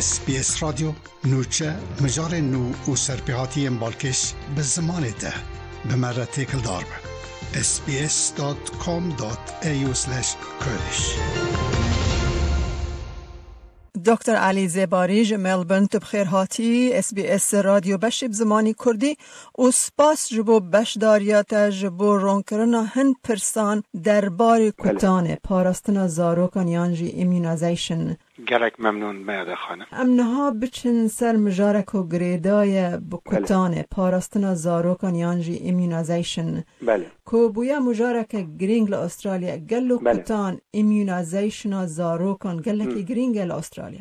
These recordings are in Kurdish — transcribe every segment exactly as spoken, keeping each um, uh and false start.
S B S Radyo, nûçe, mijarên nû û serpêhatiyên balkêş bi zimanê te. Bi me re têkildar be. S B S dot com dot A U slash Kurdish. Doktor Elî Zêbarî ji Melbourne, tu bi xêr hatî S B S Radyo beşê bi zimanî Kurdî û spas ji bo beşdariya te ji bo ronkirina hin pirsan derbarê Belê. kutanê, parastina zarokan yan jî immunization. Gelek memnûn me Eda Xanim. Em niha biçin ser mijarek ku girêdaye bi Belê. kutanê, parastina zarokan yan jî immunization. Belê. Ku bûye mijareke girîng li Australya. Gelo Belê. kutan, immunizationa zarokan gelekî Hı. girîng e li Australya?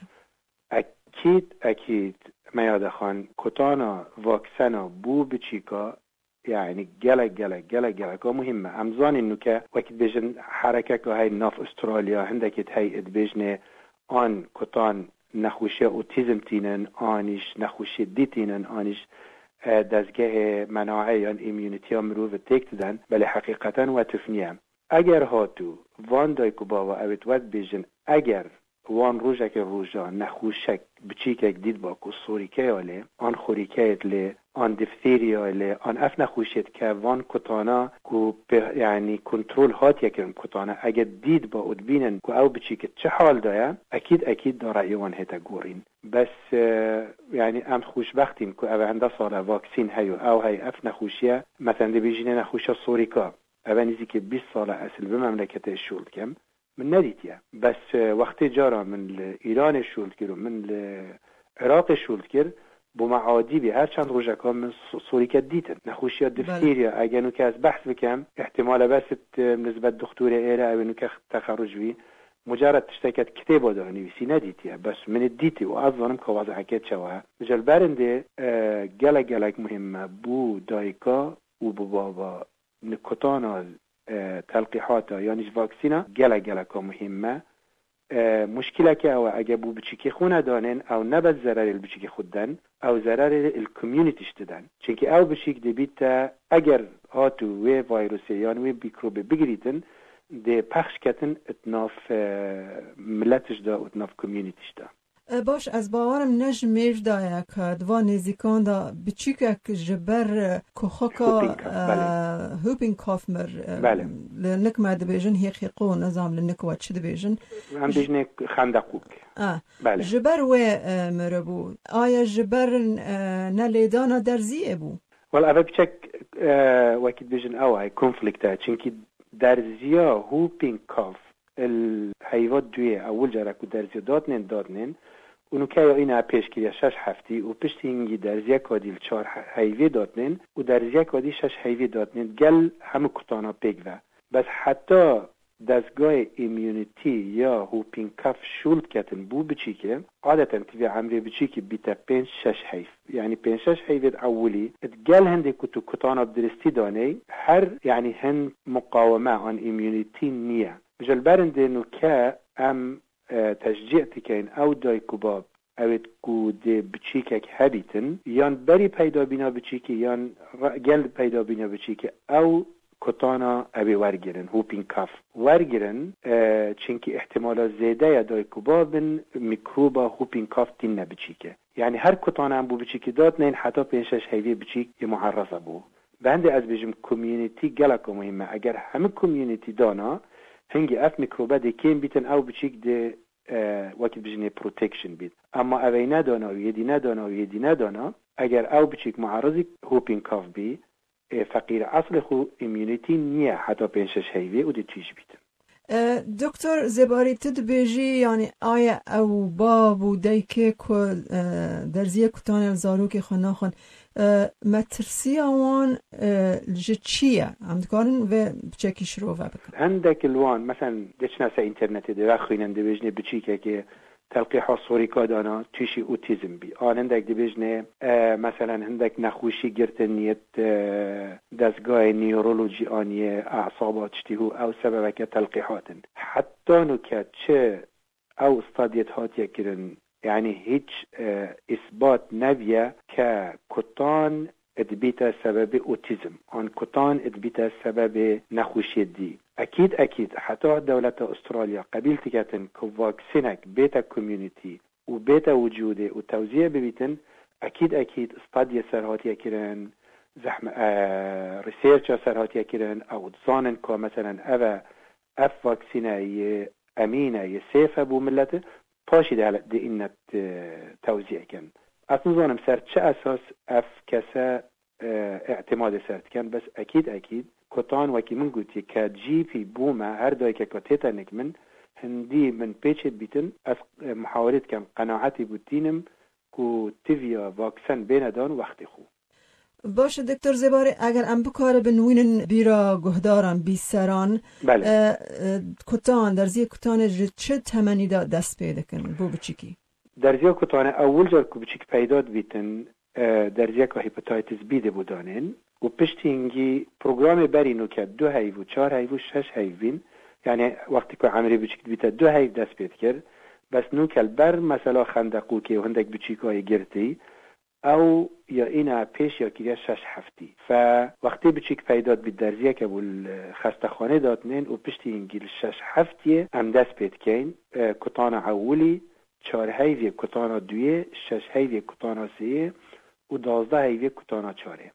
Ekîd, ekîd, me Eda Xan, kutana vaksena bû biçîka, yani gelek, gelek, gelek, geleka muhîm e. Em zanîn nûke, wekî dibêjin herekeka hey nav Australya, hindekê hey dibêjinê an kutan nexweşiya otîzm tînin, anîş nexweşiyê dî tînin, anîş, e, dezgehê menaê yan immunîtiya mirovî têk diden, belê heqîqeten we tuf niye. Eger hatû van dayik û bava ew ê we dibêjin, eger wan rojekê roja nexweşek biçîkek dît ba ku sorîkeya lê, an xorîkeyê lê, an difthîriyayê lê, an ev nexweşiyê dike, van kutana ku pê, yani kontrol hatiye kirin kutana, eger dît ba û dibînin ku ew biçîk çi hal de ye, ekîd, ekîd da reyê wan hête gorîn. Bes, e, yani em xweşbextîn ku ev hende sale vaksîn heyo, ew hey ev nexweşiye, mesen dibêjîne nexweşiya sorîka. Ev nîzîkî bîst sale esil bi memleketê şûl dikim. Min nedîtiye. Bes, e, wextê cara min li Îranê şûl dikir û min li Iraqê şûl dikir, bo me adî bî. Her çend rojeka min so-, sorîke dîtin. Nexweşiya Belê. diftîriya, ege nûke ez behs bikim, îhtimale bes it, e, nisbet dixtorê êre ew ê nûke texerruc bî. Mucared tişteke di kitêba de nivîsî nedîtiye. Bes min ê dîtî û ez zanim ka wez'eke çawa ye. Ji li berindê, e, gelek gelek muhîm e. Bû dayika û bi baba nikutana, e, telqîhata yanî ji vaksîna gelek geleka muhîm me. E, muşkileke ew e, ege bû biçîkê xwe nedanên, ew ne bes zererê li biçîkê xwe diden, ew zererê li community jî diden. Çimkî ew biçîk dibîte, eger hatû wê vîrusê yan wê mîkrobê bigirîtin, dê pexş ketin it nav, e, milet jî de û it nav community jî de. E, baş, ez bawerim ne ji mêj de ye ke di van nêzîkan de biçîkek ji ber, e, kuxika, Whooping cough, e, belê. whooping cough mir, e, Belê. li nik me dibêjin hêqîqo, nizam li nik we çi dibêjin. Em Ji- bêjinê xendeqûk. Ah, Belê. ji ber wê, e, miribû. Aye ji ber, e, ne lêdana derziyê bû? Wela ev piçek, e, wekî dibêjin ew ay konflikt e. Çimkî derziya whooping cough il heyva duyê ewil cara ku derziya datnên, datnên û nûke ya îna pêş kiriye şeş heftî û piştî hingî derziyeka dî li çar he-, heyvê datnên û derziyeka dî şeş heyvê datnên gel hemû kutana pêk ve. Bes heta dezgahê immunity ya whooping cough şûl diketin bû biçîkê, adeten tivê emrê biçîkî bîte pênc şeş heyv. Yanî pênc şeş heyvê di ewilî, di gel hindê ku tu kutana bi diristî daney, her, yanî hin muqaweme an immunity niye. Ji li berindê nûke em, e, teşcî dikeyn ew dayik û bab, ewêt ku dê biçîkek hebîtin, yan berî peydabîna biçîkê, yan re-, gel peydabîna biçîkê, ew kutana ew ê wergirin, whooping cough. Wergirin, e, çimkî îhtimala zêde ye dayik û babin mîkroba whooping cough tînne biçîkê. Yanî her kutana em bû biçîkî datnên heta pênc şeş heyvê biçîk yê muerreza bû. Bi hindê ez bêjim community geleka muhîm e. Eger hemî community dana, hingî ev mîkrobe dê kêm bîtin, ew biçîk dê, e, wekî bijinê protection bît. Ama ev ê nedana û yê dî nedana û yê dî nedana, eger ew biçîk muerrizî whooping cough bî, ê feqîr eslê xwe immunity niye heta pênc şeş heyvê û dê tûj bîtin. E, Doktor Zêbarî, tu dibêjî, yanî aye ew bab û dayikê ku, e, derziyê kutanê li zarokê xwe naxwin, e, metirsiya wan, e, ji çi ye? Em dikarin vê piçekî şirove bikin. Hindek li wan, meselen, diçine ser înternetê, divexwînin, dibêjinê biçîkekê, telqîha sorîka dana, tûşî otîzm bî. An hindek dibêjinê, e, meselen, hindek nexweşî girtin yêt, e, dezgahê neurology aniye, esaba tiştî hû, ew sebebeke telqîhat in. Heta nûke çi ew stadiyet hatiye kirin, yanî hîç, e, îsbat neviye ke kutan dibîte sebebê otîzm, an kutan dibîte sebebê nexweşiyê dî. Ekîd, ekîd, heta dewleta Australya qebîl diketin ku vaksînek bête community, û bête wicûdê û tewzîye bibîtin, ekîd ekîd stadiyê ser hatiye kirin, zehme, e, researcha ser hatiye kirin, ew dizanin ku meselen ev e, ev vaksîne yê emîn e, yê safe bû milletê, paşî de hele di înet, e, tewzîye kin. Ez nizanim ser çi esas ev kese, e, îtimadê ser dikin, bes ekîd ekîd kutan wekî min gotiye ke G P bûme, her dayikeke tête nik min, hindî min pêçê dibîtin, ez, e, muhawirê dikim, qenaetî bû tînim ku tiviya vaksen bêne dan wextê xwe. Baş e, Doktor Zêbarê, eger em bikaribin wînin bîra guhdaran, bîseran, Belê. e, e, kutan, derziyê kutanê ji çi temenî de dest pê dikin bo biçîkî? Derziya kutanê ewil car ku biçîk peyda dibîtin, e, derziyeka hepatitis B de bû danên û piştî hingî programê berî nûke du heyv û çar heyv û şeş heyv bîn, yani wextî ku emrê biçîk dibîte du heyv dest pê dikir, bes nûke li ber mesela xendeqûkê û hindek biçîkayê girtî, ew ya îna pêş ya kiriye şeş heftî. Fe wextê biçîk peyda dibî derziyeke bû li xestexanê datnên û piştî hingî li şeş heftiyê em dest pê dikeyn, e, kutana ewilî, çar heyvê kutana duyê, şeş heyvê kutana sêyê û dazdeh heyvê kutana çarê.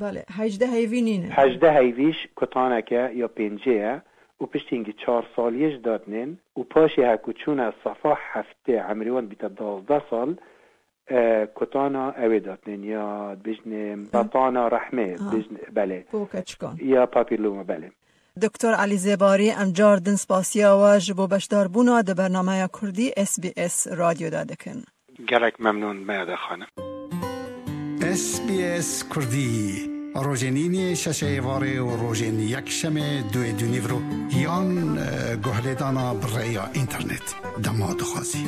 Belê, hejdeh heyvî nîne. Hejdeh heyvîş kutaneke ya pêncê ye û piştî hingî çar saliyê ji datnên û paşê heku çûne sefa heftê emrê wan bîte dazdeh sal, e, kutana ewê datnên ya dibêjinê betana rehmê, Ha. dibêjinê, belê. Bo keçikan. Ya papîloma, belê. Doktor Elî Zêbarî, em car din spasiya we ji bo beşdarbûna di bernameya Kurdî S B S Radyo de dikin. Gelek memnûn me de xanim. S B S Kurdî, rojên îniyê şeşê êvarê û rojên yekşemê duê dûnîvro yan, e, guhlêdana bi rêya înternet dema dixwazî.